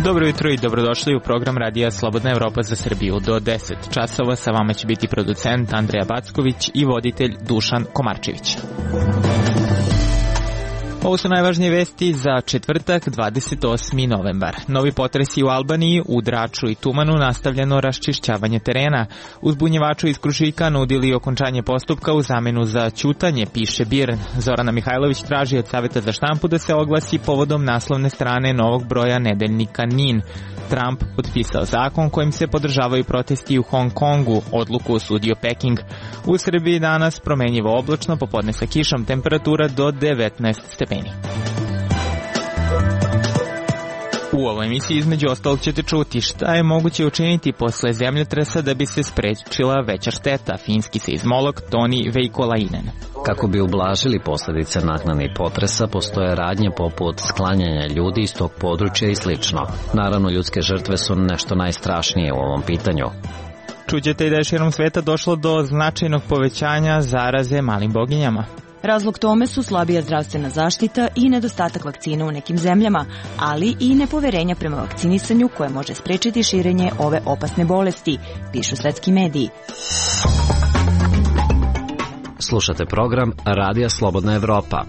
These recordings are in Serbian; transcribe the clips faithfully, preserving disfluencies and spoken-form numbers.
Dobro jutro i dobrodošli u program Radija Slobodna Evropa za Srbiju. Do deset časova sa vama će biti producent Andreja Backović i voditelj Dušan Komarčević. Ovo su najvažnije vesti za četvrtak, dvadeset osmi novembar. Novi potresi u Albaniji, u Draču i Tumanu nastavljeno raščišćavanje terena. Uzbunjevaču iz Krušika nudili okončanje postupka u zamenu za ćutanje, piše Birn. Zorana Mihajlović traži od Saveta za štampu da se oglasi povodom naslovne strane novog broja nedeljnika Nin. Trump potpisao zakon kojim se podržavaju protesti u Hong Kongu, odluku osudio Peking. U Srbiji danas promenjivo oblačno, popodne sa kišom, temperatura do devetnaest stepeni. U ovoj emisiji između ostalog ćete čuti šta je moguće učiniti posle zemljotresa da bi se sprečila veća šteta. Finski seizmolog Toni Veikolainen. Kako bi ublažili posledice naknadnih potresa, postoje radnje poput sklanjanja ljudi iz tog područja i slično. Naravno, ljudske žrtve su nešto najstrašnije u ovom pitanju. Čućete i da je širom sveta došlo do značajnog povećanja zaraze malim boginjama. Razlog tome su slabija zdravstvena zaštita i nedostatak vakcina u nekim zemljama, ali i nepoverenja prema vakcinisanju koje može sprečiti širenje ove opasne bolesti, pišu svetski mediji. Slušate program Radija Slobodna Evropa.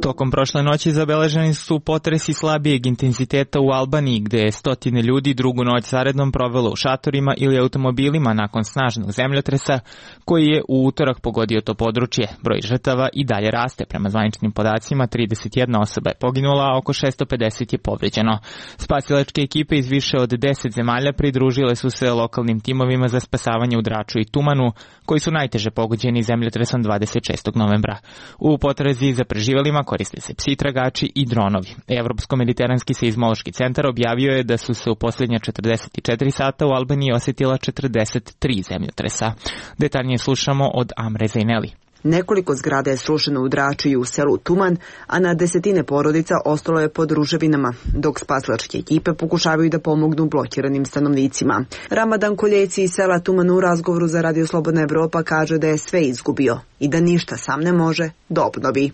Tokom prošle noći zabeleženi su potresi slabijeg intenziteta u Albaniji, gde je stotine ljudi drugu noć zaredom provelo u šatorima ili automobilima nakon snažnog zemljotresa koji je u utorak pogodio to područje. Broj žrtava i dalje raste. Prema zvaničnim podacima, trideset jedna osoba je poginula, a oko šesto pedeset je povređeno. Spasilačke ekipe iz više od deset zemalja pridružile su se lokalnim timovima za spasavanje u Draču i Tumanu, koji su najteže pogođeni zemljotresom dvadeset šestog novembra. U potrazi za preživelima koriste se psi tragači i dronovi. Evropsko-mediteranski seizmološki centar objavio je da su se u posljednja četrdeset četiri sata u Albaniji osetila četrdeset tri zemljotresa. Detaljnije slušamo od Amre Zejneli. Nekoliko zgrada je srušeno u Draču i u selu Tuman, a na desetine porodica ostalo je pod ruševinama, dok spasilačke ekipe pokušavaju da pomognu blokiranim stanovnicima. Ramadan Koljeci iz sela Tuman u razgovoru za Radio Slobodna Evropa kaže da je sve izgubio i da ništa sam ne može da obnovi.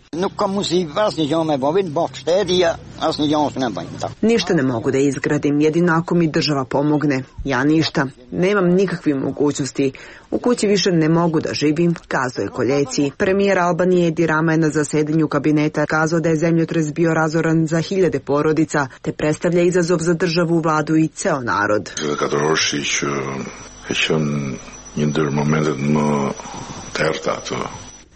Ništa ne mogu da izgradim, jedino ako mi država pomogne. Ja ništa, nemam nikakve mogućnosti. U kući više ne mogu da živim, kazao je Koljeci. Premijer Albanije Edi Rama je na zasedanju kabineta kazao da je zemljotres bio razoran za hiljade porodica, te predstavlja izazov za državu, vladu i ceo narod.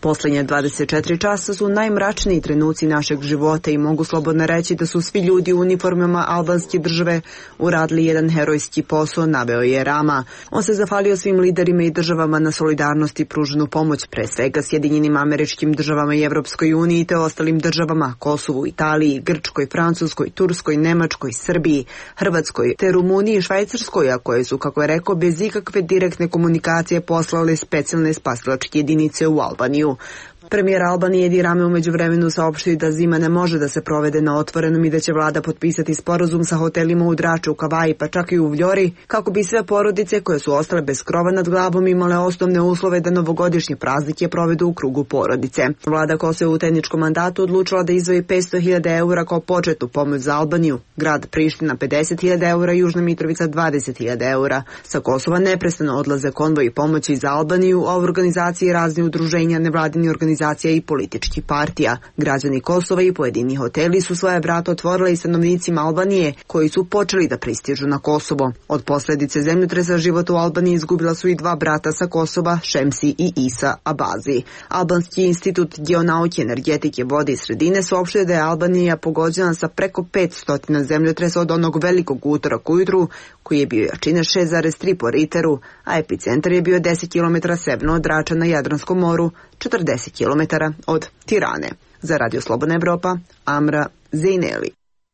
Poslednje dvadeset četiri časa su najmračniji trenuci našeg života i mogu slobodno reći da su svi ljudi u uniformama albanske države uradili jedan herojski posao, naveo je Rama. On se zahvalio svim liderima i državama na solidarnosti i pruženu pomoć, pre svega Sjedinjenim Američkim Državama i Evropskoj uniji te ostalim državama, Kosovu, Italiji, Grčkoj, Francuskoj, Turskoj, Nemačkoj, Srbiji, Hrvatskoj te Rumuniji i Švajcarskoj, a koje su, kako je rekao, bez ikakve direktne komunikacije poslale specijalne spasilačke jedinice u Albaniju. Premijer Albanije Edi Rama u međuvremenu saopštio da zima ne može da se provede na otvorenom i da će vlada potpisati sporazum sa hotelima u Draču, u Kavaji pa čak i u Vljori, kako bi sve porodice koje su ostale bez krova nad glavom imale osnovne uslove da novogodišnje praznike provedu u krugu porodice. Vlada Kosova u tehničkom mandatu odlučila da izdvoji petsto hiljada eura kao početnu pomoć za Albaniju, grad Priština pedeset hiljada eura, Južna Mitrovica dvadeset hiljada eura. Sa Kosova neprestano odlaze konvoji pomoći za Albaniju, a u organizaciji razni udruženja, nevladini organizacije i političkih partija. Građani Kosova i pojedini hoteli su svoje vrata otvorili i stanovnicima Albanije koji su počeli da pristižu na Kosovo. Od posljedice zemljotresa život u Albaniji izgubila su i dva brata sa Kosova, Šemsi i Isa Abazi. Albanski institut geonauke, energetike, vode i sredine saopštio da je Albanija pogođena sa preko petsto zemljotresa od onog velikog utoraka ujutru, koji je bio jačine šest zarez tri po Riteru, a epicentar je bio deset kilometara severno od Drača na Jadranskom moru, četrdeset kilometara od Tirane. Za Radio Slobodna Evropa, Amra Zejneli.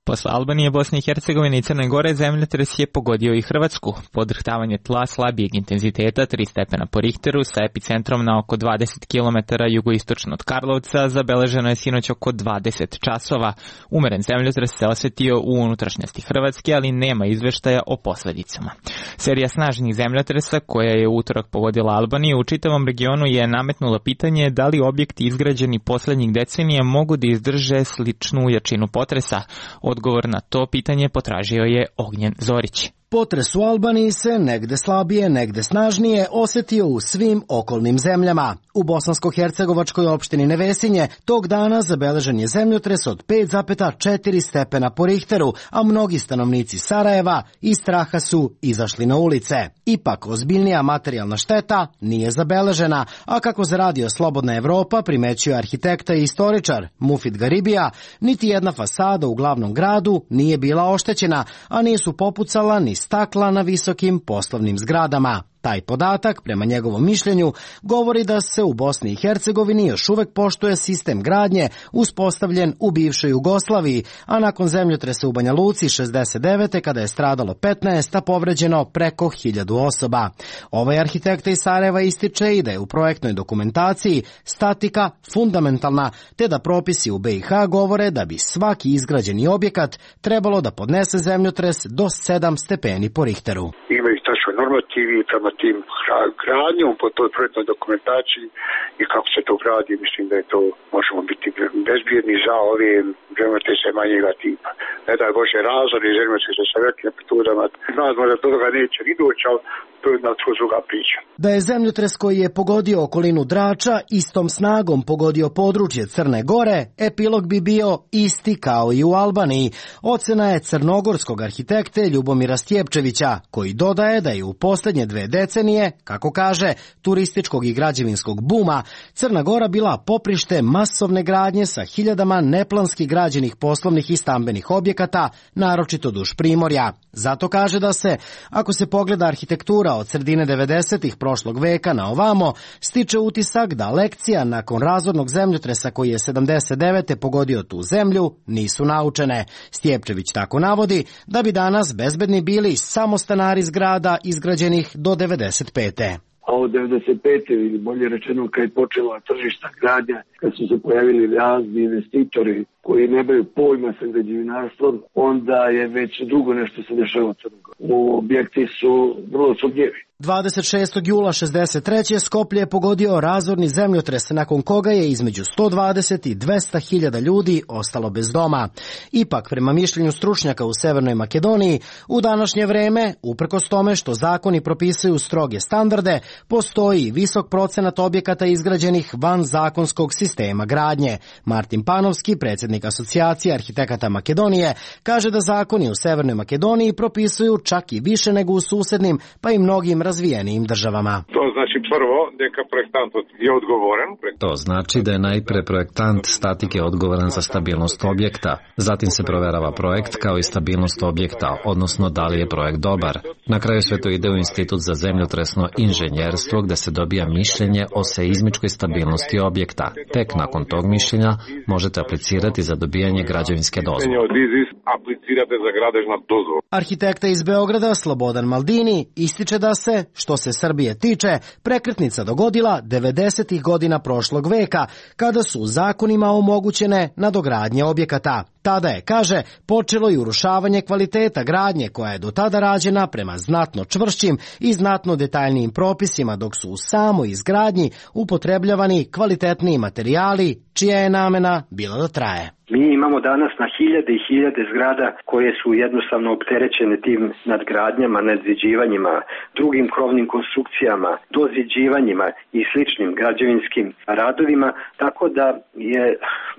Posle Albanije, Bosne i Hercegovine i Crne Gore, zemljotres je pogodio i Hrvatsku. Podrhtavanje tla slabijeg intenziteta, tri stepena po Richteru, sa epicentrom na oko dvadeset kilometara jugoistočno od Karlovca, zabeleženo je sinoć oko dvadeset časova. Umeren zemljotres se osetio u unutrašnjosti Hrvatske, ali nema izveštaja o posledicama. Serija snažnih zemljotresa koja je u utorak pogodila Albaniju u čitavom regionu je nametnula pitanje da li objekti izgrađeni poslednjih decenija mogu da izdrže sličnu jačinu potresa. Odgovor na to pitanje potražio je Ognjen Zorić. Potres u Albaniji se negde slabije, negde snažnije osetio u svim okolnim zemljama. U bosansko-hercegovačkoj opštini Nevesinje tog dana zabeležen je zemljotres od pet zarez četiri stepena po Richteru, a mnogi stanovnici Sarajeva iz straha su izašli na ulice. Ipak, ozbiljnija materijalna šteta nije zabeležena, a kako za radio Slobodna Evropa primećuje arhitekta i istoričar Mufid Garibija, niti jedna fasada u glavnom gradu nije bila oštećena, a nisu popucala ni stakla na visokim poslovnim zgradama. Taj podatak, prema njegovom mišljenju, govori da se u Bosni i Hercegovini još uvek poštuje sistem gradnje uspostavljen u bivšoj Jugoslaviji, a nakon zemljotresa u Banja Luci šezdeset devete kada je stradalo petnaest, a povređeno preko hiljadu osoba. Ovaj arhitekta iz Sarajeva ističe i da je u projektnoj dokumentaciji statika fundamentalna, te da propisi u be i ha govore da bi svaki izgrađeni objekat trebalo da podnese zemljotres do sedam stepeni po Richteru. Imaju tačno normativi prema tim gradnjom po toj projektnoj dokumentaciji i kako se to gradi, mislim da je to, možemo biti bezbjedni za ove zemljotrese manjega tipa. Ne daj Bože razor i zemljotrese sa velikim amplitudama. Nadamo da do toga neće ni doći, ali to je jedna druga priča. Da je zemljotres koji je pogodio okolinu Drača istom snagom pogodio područje Crne Gore, epilog bi bio isti kao i u Albaniji. Ocena je crnogorskog arhitekte Ljubomira Stjepčevića, koji dodaje da je u poslednje dve decenije, kako kaže, turističkog i građevinskog buma, Crna Gora bila poprište masovne gradnje sa hiljadama neplanski građenih poslovnih i stambenih objekata, naročito duž Primorja. Zato kaže da se, ako se pogleda arhitektura od sredine devedesetih prošlog veka na ovamo, stiče utisak da lekcija nakon razornog zemljotresa koji je sedamdeset devete pogodio tu zemlju nisu naučene. Stjepčević tako navodi da bi danas bezbedni bili samo stanari zgrada izgrađenih do devedeset pete. A od devedeset pete ili bolje rečeno kad je počela tržišta gradnja, kad su se pojavili razni investitori koji nemaju pojma sa građevinarstvom, onda je već dugo nešto se dešava u Crnoj Gori. Objekti su vrlo sumnjivi. dvadeset šestog jula šezdeset treće Skoplje je pogodio razorni zemljotres, nakon koga je između sto dvadeset i dvesta hiljada ljudi ostalo bez doma. Ipak, prema mišljenju stručnjaka u Severnoj Makedoniji, u današnje vreme, uprkos tome što zakoni propisuju stroge standarde, postoji visok procenat objekata izgrađenih van zakonskog sistema gradnje. Martin Panovski, predsjednik Asocijacije arhitekata Makedonije, kaže da zakoni u Severnoj Makedoniji propisuju čak i više nego u susednim, pa i mnogim razvijenijim državama. To znači prvo neka projektant je odgovoran. To znači da je najpre projektant statike odgovoran za stabilnost objekta. Zatim se proverava projekt kao i stabilnost objekta, odnosno da li je projekt dobar. Na kraju sve to ide u Institut za zemljotresno inženjerstvo gde se dobija mišljenje o seizmičkoj stabilnosti objekta. Tek nakon tog mišljenja možete aplicirati za dobijanje građevinske dozvole. Aplicirate za građevinsku dozvolu. Arhitekta iz Beograda Slobodan Maldini ističe da se, što se Srbije tiče, prekretnica dogodila devedesetih godina prošlog veka, kada su zakonima omogućene nadogradnje objekata. Tada je, kaže, počelo i urušavanje kvaliteta gradnje koja je do tada rađena prema znatno čvršćim i znatno detaljnijim propisima, dok su u samoj izgradnji upotrebljavani kvalitetniji materijali čija je namena bila da traje. Mi imamo danas na hiljade i hiljade zgrada koje su jednostavno opterećene tim nadgradnjama, nadziđivanjima, drugim krovnim konstrukcijama, doziđivanjima i sličnim građevinskim radovima, tako da je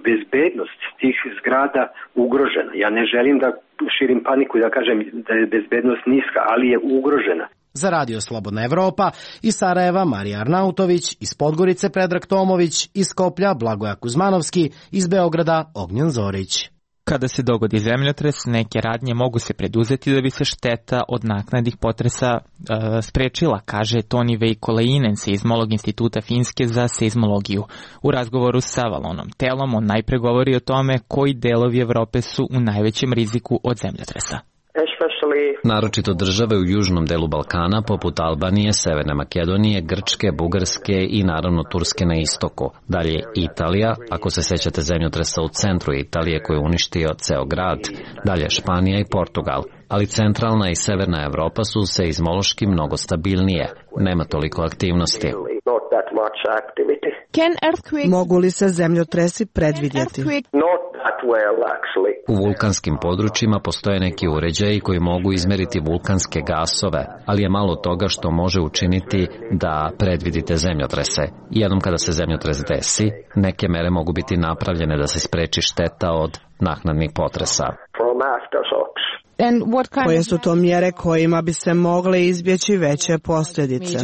bezbednost tih zgrada ugrožena. Ja ne želim da širim paniku i da kažem da je bezbednost niska, ali je ugrožena. Za Radio Slobodna Evropa iz Sarajeva Marija Arnautović, iz Podgorice Predrag Tomović, iz Skoplja Blagoja Kuzmanovski, iz Beograda Ognjen Zorić. Kada se dogodi zemljotres, neke radnje mogu se preduzeti da bi se šteta od naknadnih potresa e, sprečila, kaže Toni Veikolainen, seizmolog Instituta Finske za seizmologiju. U razgovoru sa Valonom Telom on najpre govori o tome koji delovi Evrope su u najvećem riziku od zemljotresa. Naročito države u južnom delu Balkana, poput Albanije, Severne Makedonije, Grčke, Bugarske i naravno Turske na istoku. Dalje Italija, ako se sećate zemljotresa u centru Italije koji je uništio ceo grad. Dalje Španija i Portugal. Ali centralna i severna Evropa su seizmološki mnogo stabilnije. Nema toliko aktivnosti. Mogu li se zemljotresi predvidjeti? U vulkanskim područjima postoje neki uređaji koji mogu izmeriti vulkanske gasove, ali je malo toga što može učiniti da predvidite zemljotrese. Jednom kada se zemljotres desi, neke mere mogu biti napravljene da se spreči šteta od naknadnih potresa. Koje su to mjere kojima bi se mogle izbjeći veće posljedice?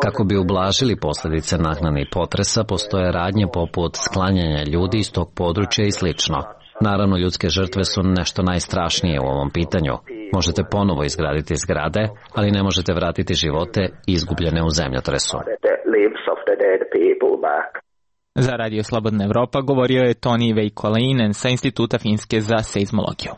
Kako bi ublažili posljedice naknadnih potresa, postoje radnje poput sklanjanja ljudi iz tog područja i slično. Naravno, ljudske žrtve su nešto najstrašnije u ovom pitanju. Možete ponovo izgraditi zgrade, ali ne možete vratiti živote izgubljene u zemljotresu. Za Radio Slobodna Evropa govorio je Toni Veikolainen sa Instituta Finske za seizmologiju.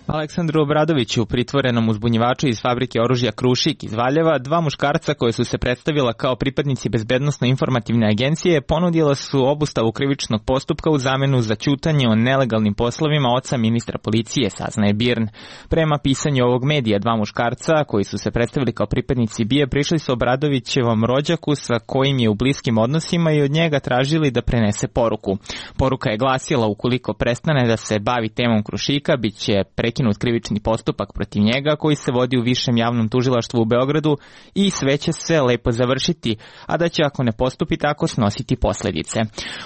Aleksandru Obradoviću, pritvorenom uzbunjivaču iz fabrike oružja Krušik iz Valjeva, dva muškarca koje su se predstavila kao pripadnici Bezbednosno-informativne agencije ponudila su obustavu krivičnog postupka u zamenu za ćutanje o nelegalnim poslovima oca ministra policije, saznaje BIRN. Prema pisanju ovog medija, dva muškarca koji su se predstavili kao pripadnici B I A prišli su Obradovićevom rođaku sa kojim je u bliskim odnosima i od njega tražili da prenese poruku. Poruka je glasila: ukoliko prestane da se bavi temom Krušika, bit će prekinut krivični postupak protiv njega koji se vodi u Višem javnom tužilaštvu u Beogradu i sve će se lepo završiti, a da će ako ne postupi tako snositi posljedice.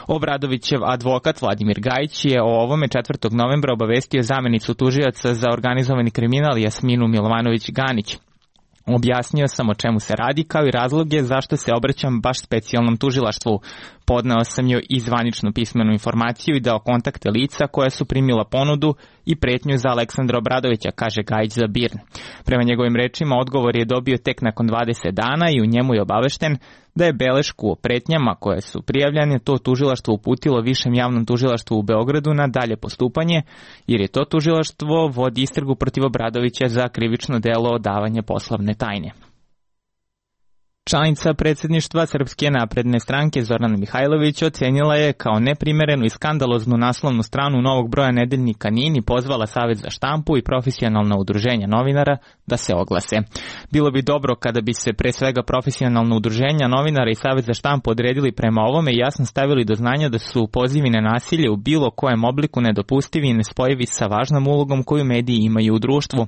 Obradovićev advokat Vladimir Gajić je o ovome četvrtog novembra obavestio zamenicu tužioca za organizovani kriminal Jasminu Milovanović-Ganić. Objasnio sam o čemu se radi, kao i razloge zašto se obraćam baš specijalnom tužilaštvu. Podneo sam joj i zvaničnu pismenu informaciju i dao kontakte lica koja su primila ponudu i pretnju za Aleksandra Obradovića, kaže Gajić za BIRN. Prema njegovim rečima, odgovor je dobio tek nakon dvadeset dana i u njemu je obavešten da je belešku o pretnjama koje su prijavljene to tužilaštvo uputilo Višem javnom tužilaštvu u Beogradu na dalje postupanje, jer je to tužilaštvo vodi istragu protiv Obradovića za krivično delo odavanja poslovne tajne. Članica predsjedništva Srpske napredne stranke Zorana Mihajlović ocenila je kao neprimerenu i skandaloznu naslovnu stranu novog broja nedeljnika NIN i pozvala Savez za štampu i profesionalna udruženja novinara da se oglase. Bilo bi dobro kada bi se pre svega profesionalna udruženja novinara i Savez za štampu odredili prema ovome i jasno stavili do znanja da su pozivi na nasilje u bilo kojem obliku nedopustivi i nespojivi sa važnom ulogom koju mediji imaju u društvu,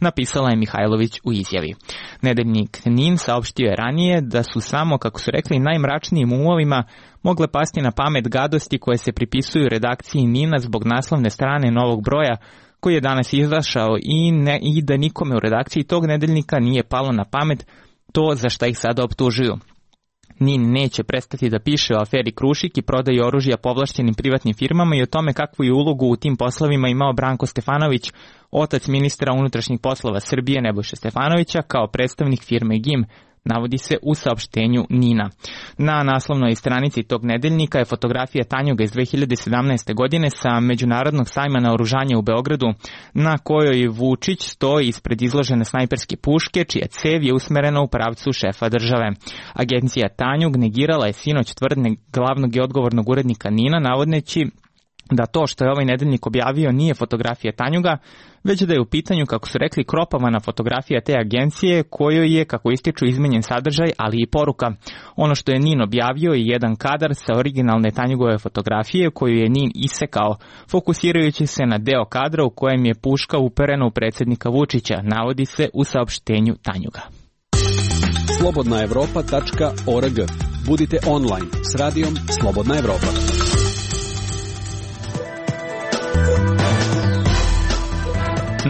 napisala je Mihajlović u izjavi. Nedeljnik NIN saopštio je ranije da su samo, kako su rekli, najmračnijim umovima mogle pasti na pamet gadosti koje se pripisuju redakciji NIN-a zbog naslovne strane novog broja koji je danas izašao i, ne, i da nikome u redakciji tog nedeljnika nije palo na pamet to za šta ih sada optužuju. NIN neće prestati da piše o aferi Krušik i prodaju oružja povlašćenim privatnim firmama i o tome kakvu je ulogu u tim poslovima imao Branko Stefanović, otac ministra unutrašnjih poslova Srbije Nebojše Stefanovića, kao predstavnik firme G I M, navodi se u saopštenju NIN-a. Na naslovnoj stranici tog nedeljnika je fotografija tanjuga iz dve hiljade sedamnaeste. godine sa Međunarodnog sajma naoružanja u Beogradu, na kojoj Vučić stoji ispred izložene snajperske puške, čija cev je usmerena u pravcu šefa države. Agencija Tanjug negirala je sinoć tvrdnje glavnog i odgovornog urednika NIN-a, navodeći da to što je ovaj nedeljnik objavio nije fotografija Tanjuga, već da je u pitanju, kako su rekli, kropavana fotografija te agencije kojoj je, kako ističu, izmenjen sadržaj, ali i poruka. Ono što je NIN objavio je jedan kadar sa originalne Tanjugove fotografije koju je NIN isekao, fokusirajući se na deo kadra u kojem je puška uperena u predsjednika Vučića, navodi se u saopštenju Tanjuga. slobodna evropa tačka org. Budite online s radijom Slobodna Evropa.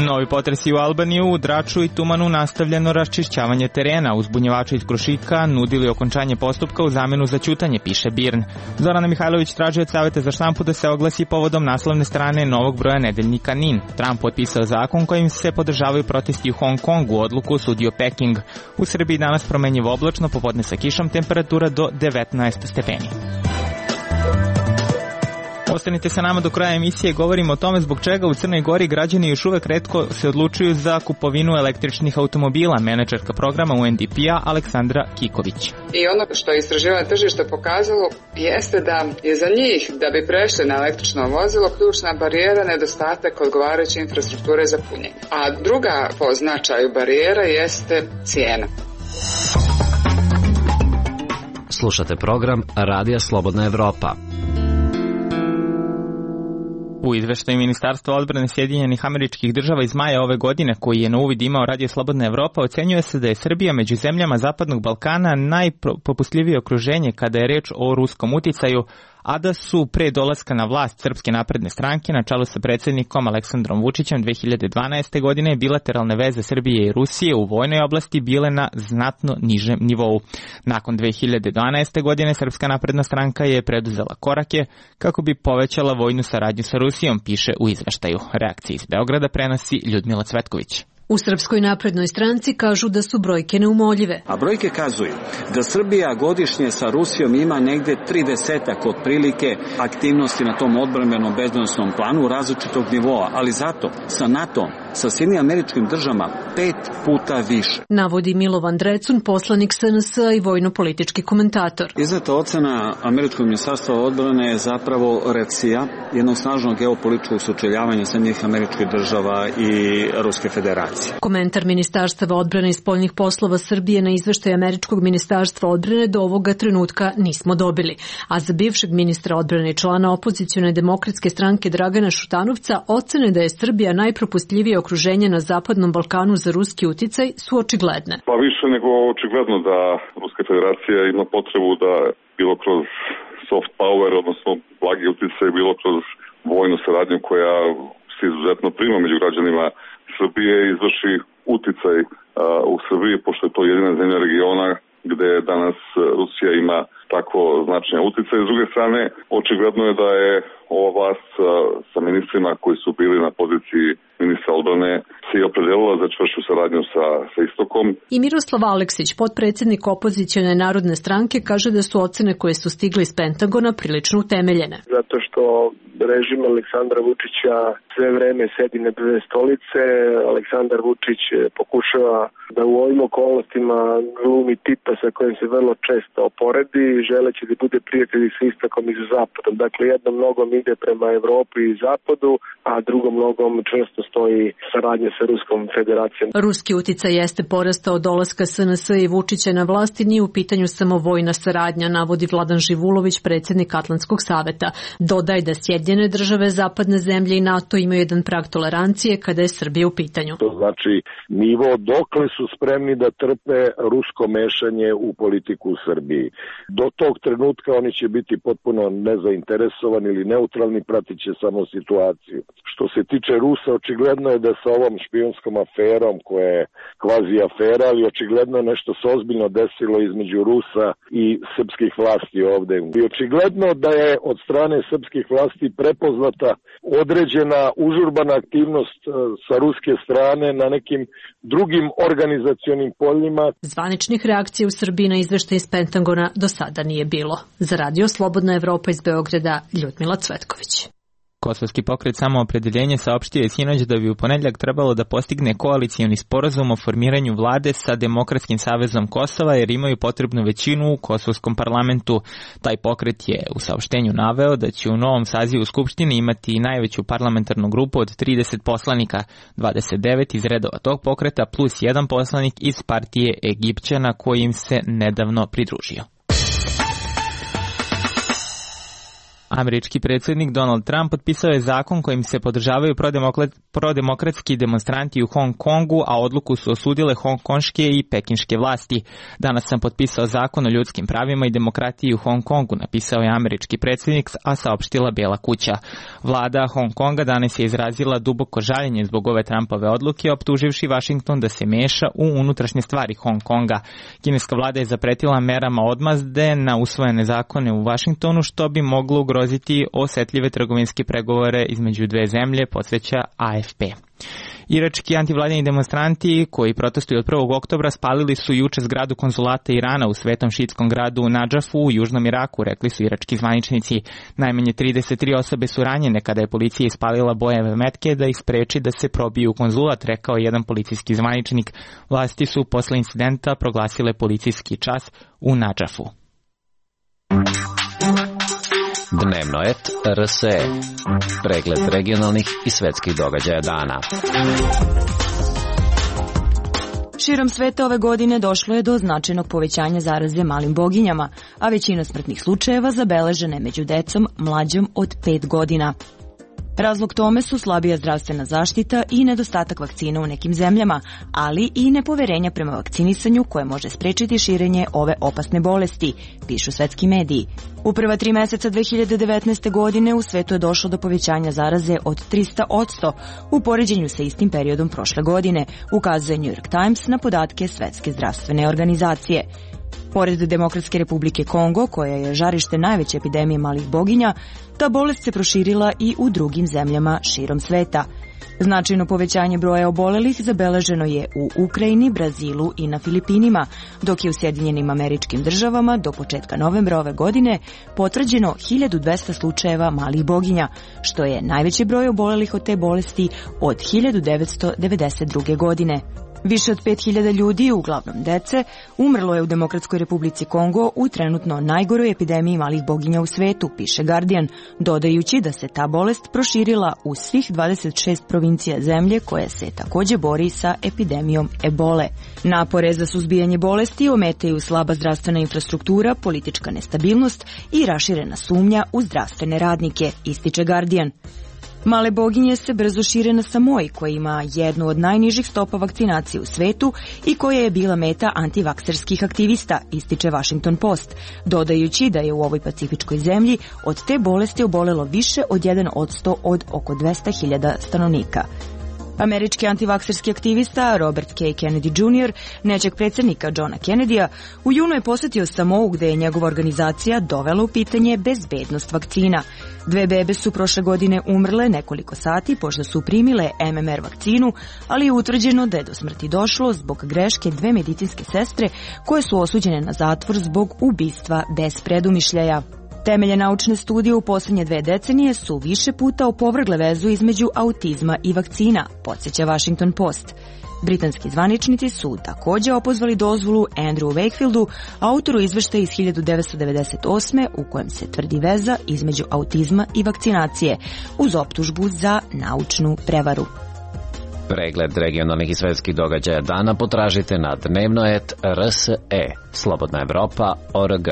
Novi potresi u Albaniji, u Draču i Tumanu nastavljeno raščišćavanje terena. Uzbunjivači iz Krušika nudili okončanje postupka u zamenu za ćutanje, piše BIRN. Zorana Mihajlović traži od Saveta za štampu da se oglasi povodom naslovne strane novog broja nedeljnika NIN. Trump potpisao zakon kojim se podržavaju protesti u Hong Kongu, odluku osudio Peking. U Srbiji danas promenjivo oblačno, popodne sa kišom, temperatura do devetnaest stepeni. Ostanite sa nama do kraja emisije, govorimo o tome zbog čega u Crnoj Gori građani još uvek retko se odlučuju za kupovinu električnih automobila. Menadžerka programa U N D P-a Aleksandra Kiković. I ono što je istraživanje tržišta pokazalo jeste da je za njih, da bi prešli na električno vozilo, ključna barijera nedostatak odgovarajuće infrastrukture za punjenje. A druga po značaju barijera jeste cijena. Slušate program Radija Slobodna Evropa. U izveštaju Ministarstva odbrane Sjedinjenih Američkih Država iz maja ove godine, koji je na uvid imao Radio Slobodna Evropa, ocenjuje se da je Srbija među zemljama Zapadnog Balkana najpopustljivije okruženje kada je reč o ruskom uticaju, a da su pre dolaska na vlast Srpske napredne stranke na čelu sa predsjednikom Aleksandrom Vučićem dve hiljade dvanaeste. godine bilateralne veze Srbije i Rusije u vojnoj oblasti bile na znatno nižem nivou. Nakon dve hiljade dvanaeste. godine Srpska napredna stranka je preduzela korake kako bi povećala vojnu saradnju sa Rusijom, piše u izveštaju. Reakcije iz Beograda prenosi Ljudmila Cvetković. U Srpskoj naprednoj stranci kažu da su brojke neumoljive. A brojke kazuju da Srbija godišnje sa Rusijom ima negde tridesetak otprilike aktivnosti na tom odbrambenom bezbednosnom planu različitog nivoa, ali zato sa NATO, sa Sjedinjenim Američkim Državama pet puta više. Navodi Milovan Drecun, poslanik S N S i vojno-politički komentator. Izneta ocena Američkog ministarstva odbrane je zapravo reakcija jednog snažnog geopolitičkog sučeljavanja Sjedinjenih Američkih Država i Ruske federacije. Komentar Ministarstva odbrane i spoljnih poslova Srbije na izveštaj Američkog ministarstva odbrane do ovoga trenutka nismo dobili. A za bivšeg ministra odbrane i člana opozicione demokratske stranke Dragana Šutanovca ocene da je Srbija najpropustljivije okruženje na Zapadnom Balkanu za ruski uticaj su očigledne. Pa više nego očigledno da Ruska federacija ima potrebu da bilo kroz soft power, odnosno blagi uticaj, bilo kroz vojnu saradnju koja se izuzetno prima među građanima Srbije, izvrši uticaj uh, u Srbiji, pošto je to jedina zemlja regiona gde danas Rusija ima tako značajan uticaj. S druge strane, očigledno je da je ova vlast uh, sa ministrima koji su bili na poziciji ministra odbrane se i opredelila za čvršću saradnju sa, sa Istokom. I Miroslav Aleksić, potpredsjednik opozicione narodne stranke, kaže da su ocene koje su stigle iz Pentagona prilično utemeljene. Zato što režim Aleksandra Vučića sve vreme sedi na dve stolice. Aleksandar Vučić pokušava da u ovim okolnostima glumi tipa sa kojim se vrlo često oporedi, želeći da bude prijatelj sa Istokom i sa Zapadom. Dakle, jednom nogom ide prema Evropi i Zapadu, a drugom nogom čvrsto stoji saradnja sa Ruskom federacijom. Ruski uticaj jeste porastao od dolaska S N S i Vučića na vlast i nije u pitanju samo vojna saradnja, navodi Vladan Živulović, predsjednik Atlantskog saveta. Dodaj da Sjedinjene države, zapadne zemlje i NATO imaju jedan prag tolerancije kada je Srbija u pitanju. To znači nivo dokle su spremni da trpe rusko mešanje u politiku u Srbiji. Do tog trenutka oni će biti potpuno nezainteresovani ili neutralni, pratit će samo situaciju. Što se tiče Rusa, očigledno je da sa ovom špijunskom aferom, koja je kvazi afera, ali očigledno nešto se ozbiljno desilo između Rusa i srpskih vlasti ovde. I očigledno da je od strane srpskih vlasti prepoznata određena užurbana aktivnost sa ruske strane na nekim drugim organizacionim poljima. Zvaničnih reakcija u Srbiji na izveštaj iz Pentagona do sada nije bilo. Za Radio Slobodna Evropa iz Beograda, Ljudmila Cvetković. Kosovski pokret Samoopredeljenje saopštio je sinoć da bi u ponedjeljak trebalo da postigne koalicioni sporazum o formiranju vlade sa Demokratskim savezom Kosova jer imaju potrebnu većinu u kosovskom parlamentu. Taj pokret je u saopštenju naveo da će u novom sazivu Skupštine imati najveću parlamentarnu grupu od trideset poslanika, dvadeset devet iz redova tog pokreta plus jedan poslanik iz partije Egipćana koji im se nedavno pridružio. Američki predsjednik Donald Trump potpisao je zakon kojim se podržavaju prodemokratski demonstranti u Hong Kongu, a odluku su osudile hongkonške i pekinške vlasti. Danas sam potpisao zakon o ljudskim pravima i demokratiji u Hong Kongu, napisao je američki predsjednik, a saopštila Bijela kuća. Vlada Hong Konga danas je izrazila duboko žaljenje zbog ove Trumpove odluke, optuživši Washington da se meša u unutrašnje stvari Hong Konga. Kineska vlada je zapretila merama odmazde na usvojene zakone u Washingtonu, što bi moglo ugroziti osetljive trgovinske pregovore između dve zemlje, podsjeća A F P. Irački antivladini demonstranti koji protestuju od prvog oktobra spalili su juče zgradu konzulata Irana u svetom šiitskom gradu Nadžafu u južnom Iraku, rekli su irački zvaničnici. Najmanje trideset tri osobe su ranjene kada je policija ispalila bojeve metke da ih spreči da se probiju u konzulat, rekao je jedan policijski zvaničnik. Vlasti su posle incidenta proglasile policijski čas u Nadžafu. Dnevnoet R S E. Pregled regionalnih i svetskih događaja dana. Širom sveta ove godine došlo je do značajnog povećanja zaraze malim boginjama, a većina smrtnih slučajeva zabeležena je među decom mlađom od pet godina. Razlog tome su slabija zdravstvena zaštita i nedostatak vakcina u nekim zemljama, ali i nepoverenja prema vakcinisanju koje može sprečiti širenje ove opasne bolesti, pišu svetski mediji. U prva tri meseca dve hiljade devetnaeste. godine u svetu je došlo do povećanja zaraze od trista posto u poređenju sa istim periodom prošle godine, ukazuje New York Times na podatke Svetske zdravstvene organizacije. Pored Demokratske republike Kongo, koja je žarište najveće epidemije malih boginja, ta bolest se proširila i u drugim zemljama širom sveta. Značajno povećanje broja obolelih zabeleženo je u Ukrajini, Brazilu i na Filipinima, dok je u Sjedinjenim Američkim Državama do početka novembra ove godine potvrđeno hiljadu dvesta slučajeva malih boginja, što je najveći broj obolelih od te bolesti od hiljadu devetsto devedeset druge. godine. Više od pet hiljada ljudi, uglavnom dece, umrlo je u Demokratskoj republici Kongo u trenutno najgoroj epidemiji malih boginja u svetu, piše Guardian, dodajući da se ta bolest proširila u svih dvadeset šest provincija zemlje koja se takođe bori sa epidemijom ebole. Napore za suzbijanje bolesti ometaju slaba zdravstvena infrastruktura, politička nestabilnost i raširena sumnja u zdravstvene radnike, ističe Guardian. Male boginje se brzo šire na Samoji, koja ima jednu od najnižih stopa vakcinacije u svetu i koja je bila meta antivakserskih aktivista, ističe Washington Post, dodajući da je u ovoj pacifičkoj zemlji od te bolesti obolelo više od jedan posto od oko dvesta hiljada stanovnika. Američki antivakserski aktivista Robert K. Kennedy junior, nećeg predsjednika Johna Kennedya, u junu je posetio Samou gde je njegova organizacija dovela u pitanje bezbednost vakcina. Dve bebe su prošle godine umrle nekoliko sati pošto su primile M M R vakcinu, ali je utvrđeno da je do smrti došlo zbog greške dve medicinske sestre koje su osuđene na zatvor zbog ubistva bez predumišljaja. Temelje naučne studije u posljednje dve decenije su više puta opovrgle vezu između autizma i vakcina, podsjeća Washington Post. Britanski zvaničnici su također opozvali dozvolu Andrew Wakefieldu, autoru izveštaja iz hiljadu devetsto devedeset osme. u kojem se tvrdi veza između autizma i vakcinacije, uz optužbu za naučnu prevaru. Pregled regionalnih i svetskih događaja dana potražite na dnevnoet R S E, Slobodna Evropa, O R G.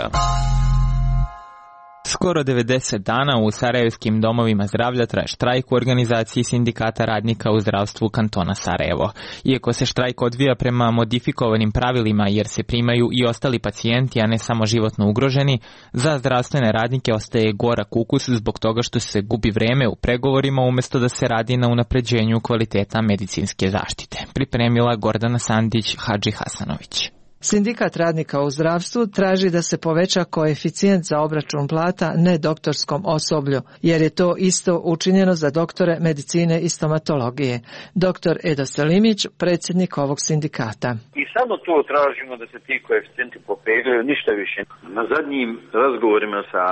Skoro devedeset dana u sarajevskim domovima zdravlja traje štrajk u organizaciji sindikata radnika u zdravstvu kantona Sarajevo. Iako se štrajk odvija prema modifikovanim pravilima jer se primaju i ostali pacijenti, a ne samo životno ugroženi, za zdravstvene radnike ostaje gorak ukus zbog toga što se gubi vreme u pregovorima umjesto da se radi na unapređenju kvaliteta medicinske zaštite. Pripremila Gordana Sandić Hadži Hasanović. Sindikat radnika u zdravstvu traži da se poveća koeficijent za obračun plata nedoktorskom osoblju, jer je to isto učinjeno za doktore medicine i stomatologije. Doktor Edo Selimić, predsjednik ovog sindikata. I samo to tražimo da se ti koeficijenti popeglaju, ništa više. Na zadnjim razgovorima sa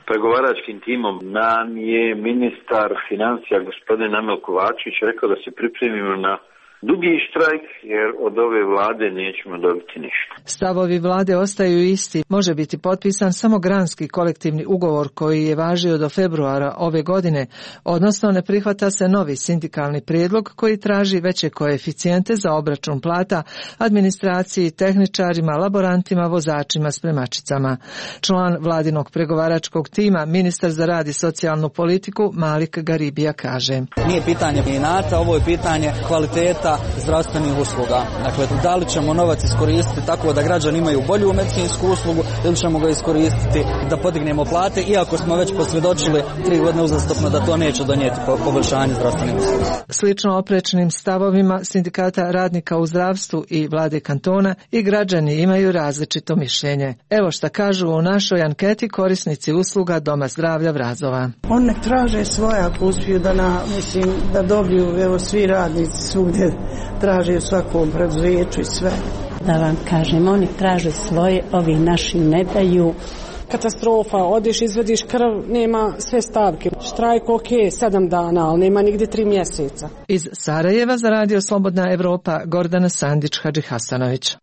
pregovaračkim timom nam je ministar financija gospodin Amel Kovačević rekao da se pripremimo na dugi štrajk, jer od ove vlade nećemo dobiti ništa. Stavovi vlade ostaju isti. Može biti potpisan samo granski kolektivni ugovor koji je važio do februara ove godine, odnosno ne prihvata se novi sindikalni prijedlog koji traži veće koeficijente za obračun plata administraciji, tehničarima, laborantima, vozačima, spremačicama. Član vladinog pregovaračkog tima, ministar za rad i socijalnu politiku Malik Garibija kaže: Nije pitanje inata, ovo je pitanje kvaliteta kvaliteta zdravstvenih usluga. Dakle, da li ćemo novac iskoristiti tako da građani imaju bolju medicinsku uslugu ili ćemo ga iskoristiti da podignemo plate, iako smo već posvjedočili tri godine uzastopno da to neće donijeti poboljšanje zdravstvenih usluga. Slično oprečnim stavovima sindikata radnika u zdravstvu i vlade kantona i građani imaju različito mišljenje. Evo šta kažu u našoj anketi korisnici usluga Doma zdravlja Vrazova. On nek traže svoje ako uspiju da, na, mislim, da dobiju, evo svi radnici svugdje traže u svakom preduzeću i sve. Da vam kažem, oni traže svoje, ovi naši ne daju. Katastrofa, odeš, izvediš krv, nema sve stavke. Štrajk ok, sedam dana, ali nema nigdje tri mjeseca. Iz Sarajeva za Radio Slobodna Evropa, Gordana Sandić-Hadžihasanović.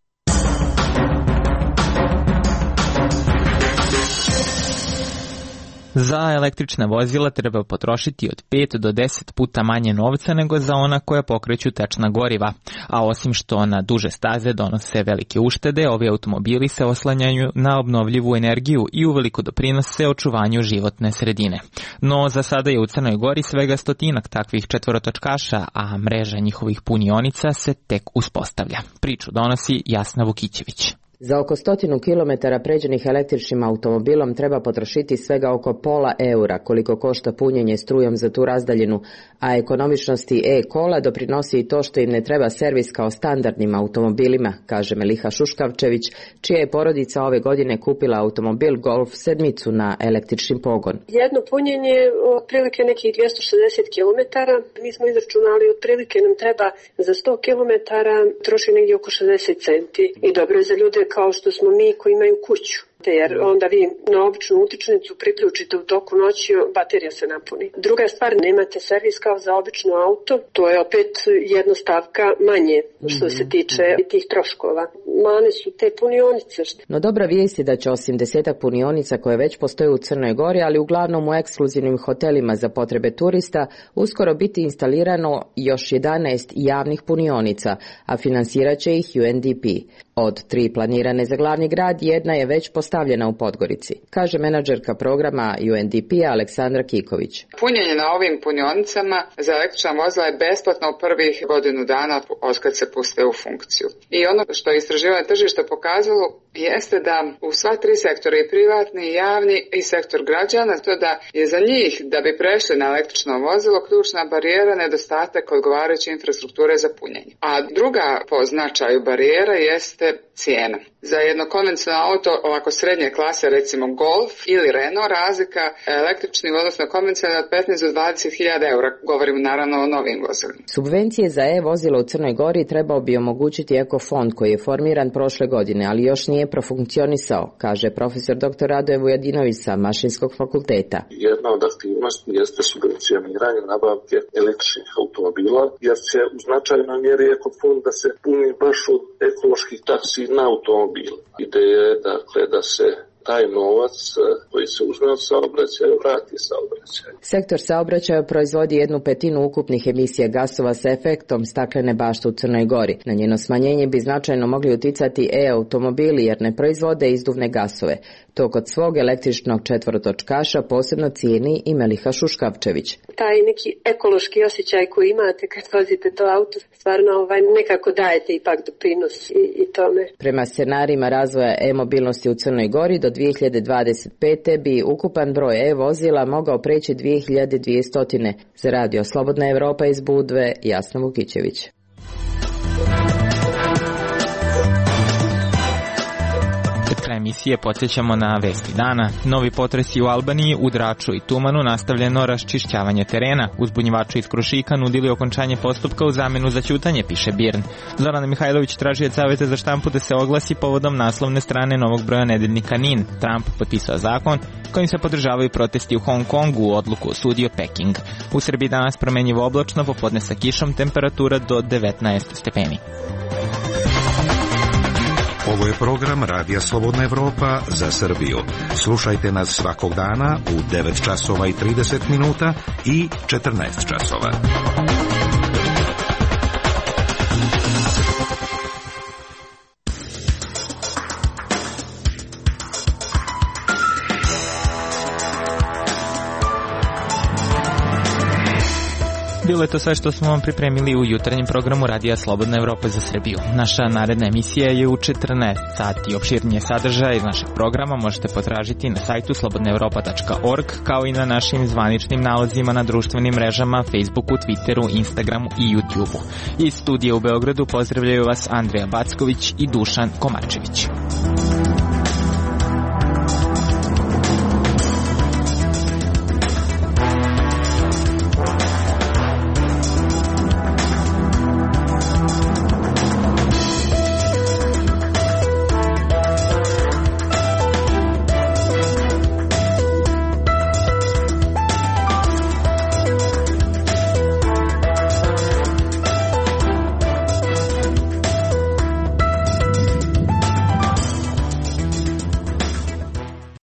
Za električna vozila treba potrošiti od pet do deset puta manje novca nego za ona koja pokreću tečna goriva, a osim što na duže staze donose velike uštede, ovi automobili se oslanjaju na obnovljivu energiju i uveliko doprinose očuvanju životne sredine. No za sada je u Crnoj Gori svega stotinak takvih četvorotočkaša, a mreža njihovih punionica se tek uspostavlja. Priču donosi Jasna Vukićević. Za oko stotinu kilometara pređenih električnim automobilom treba potrošiti svega oko pola eura koliko košta punjenje strujom za tu razdaljinu, a ekonomičnosti e-kola doprinosi i to što im ne treba servis kao standardnim automobilima, kaže Meliha Šuškavčević, čija je porodica ove godine kupila automobil Golf sedmicu na električni pogon. Jedno punjenje otprilike nekih dvjesto šezdeset kilometara, mi smo izračunali otprilike nam treba za sto kilometara troši negdje oko šezdeset centi i dobro je za ljude kao što smo mi koji imaju kuću. Jer onda vi na običnu utičnicu priključite u toku noći, baterija se napuni. Druga stvar, nemate servis kao za obično auto, to je opet jedna stavka manje što se tiče tih troškova. Mane su te punionice. No dobra vijest je da će osim desetak punionica koje već postoje u Crnoj Gori, ali uglavnom u ekskluzivnim hotelima za potrebe turista, uskoro biti instalirano još jedanaest javnih punionica, a finansirat će ih U N D P. Od tri planirane za glavni grad, jedna je već postavljena u Podgorici, kaže menadžerka programa U N D P-a Aleksandra Kiković. Punjenje na ovim punionicama za električna vozila je besplatno u prvih godinu dana otkad se puste u funkciju. I ono što je istraživanje tržišta pokazalo jeste da u sva tri sektora, i privatni, i javni, i sektor građana, to da je za njih, da bi prešli na električno vozilo, ključna barijera nedostatak odgovarajuće infrastrukture za punjenje. A druga po značaju barijera jeste cijena. Za jedno konvencionalno auto, ovako srednje klase, recimo Golf ili Renault, razlika električni, odnosno konvencionalni od petnaest do dvadeset hiljada eura, govorimo naravno o novim vozilima. Subvencije za e-vozilo u Crnoj Gori trebao bi omogućiti ekofond koji je formiran prošle godine, ali još nije profunkcionisao, kaže profesor doktor Radoje Vujadinović sa Mašinskog fakulteta. Jedna od aktivnosti jeste subvencioniranje nabavke električnih automobila, jer će u značajnoj mjeri ekofond da se puni baš od ekoloških taksi na automobil. Ideja je dakle da se taj novac koji se uzme od saobraćaja vrati saobraćaju. Sektor saobraćaja proizvodi jednu petinu ukupnih emisija gasova sa efektom staklene bašte u Crnoj Gori. Na njeno smanjenje bi značajno mogli uticati e-automobili jer ne proizvode izduvne gasove. To kod svog električnog četvorotočkaša posebno cijeni i Meliha Šuškavčević. Taj neki ekološki osjećaj koji imate kad vozite to auto, stvarno ovaj, nekako dajete ipak doprinos i, i tome. Prema scenarijima razvoja e-mobilnosti u Crnoj Gori do dvije hiljade dvadeset pete bi ukupan broj e-vozila mogao preći dvije hiljade dvjesto. Za Radio Slobodna Evropa iz Budve, Jasna Vukićević. Kraj emisije podsjećamo na vesti dana. Novi potresi u Albaniji, u Draču i Tumanu, nastavljeno raščišćavanje terena. Uzbunjivači iz Krušika nudili okončanje postupka u zamenu za ćutanje, piše Birn. Zorana Mihajlović traži od Saveta za štampu da se oglasi povodom naslovne strane novog broja nedeljnika Nin. Trump potpisao zakon kojim se podržavaju protesti u Hong Kongu, odluku osudio Peking. U Srbiji danas promenjivo oblačno, popodne sa kišom, temperatura do devetnaest stepeni. Ovo je program Radija Slobodna Evropa za Srbiju. Slušajte nas svakog dana u devet časova i trideset minuta i četrnaest časova. Bilo je to sve što smo vam pripremili u jutarnjem programu Radija Slobodna Evropa za Srbiju. Naša naredna emisija je u četrnaest sati. Opširnije sadržaje iz našeg programa možete potražiti na sajtu slobodna evropa tačka org, kao i na našim zvaničnim nalazima na društvenim mrežama Facebooku, Twitteru, Instagramu i YouTubeu. Iz studija u Beogradu pozdravljaju vas Andreja Backović i Dušan Komačević.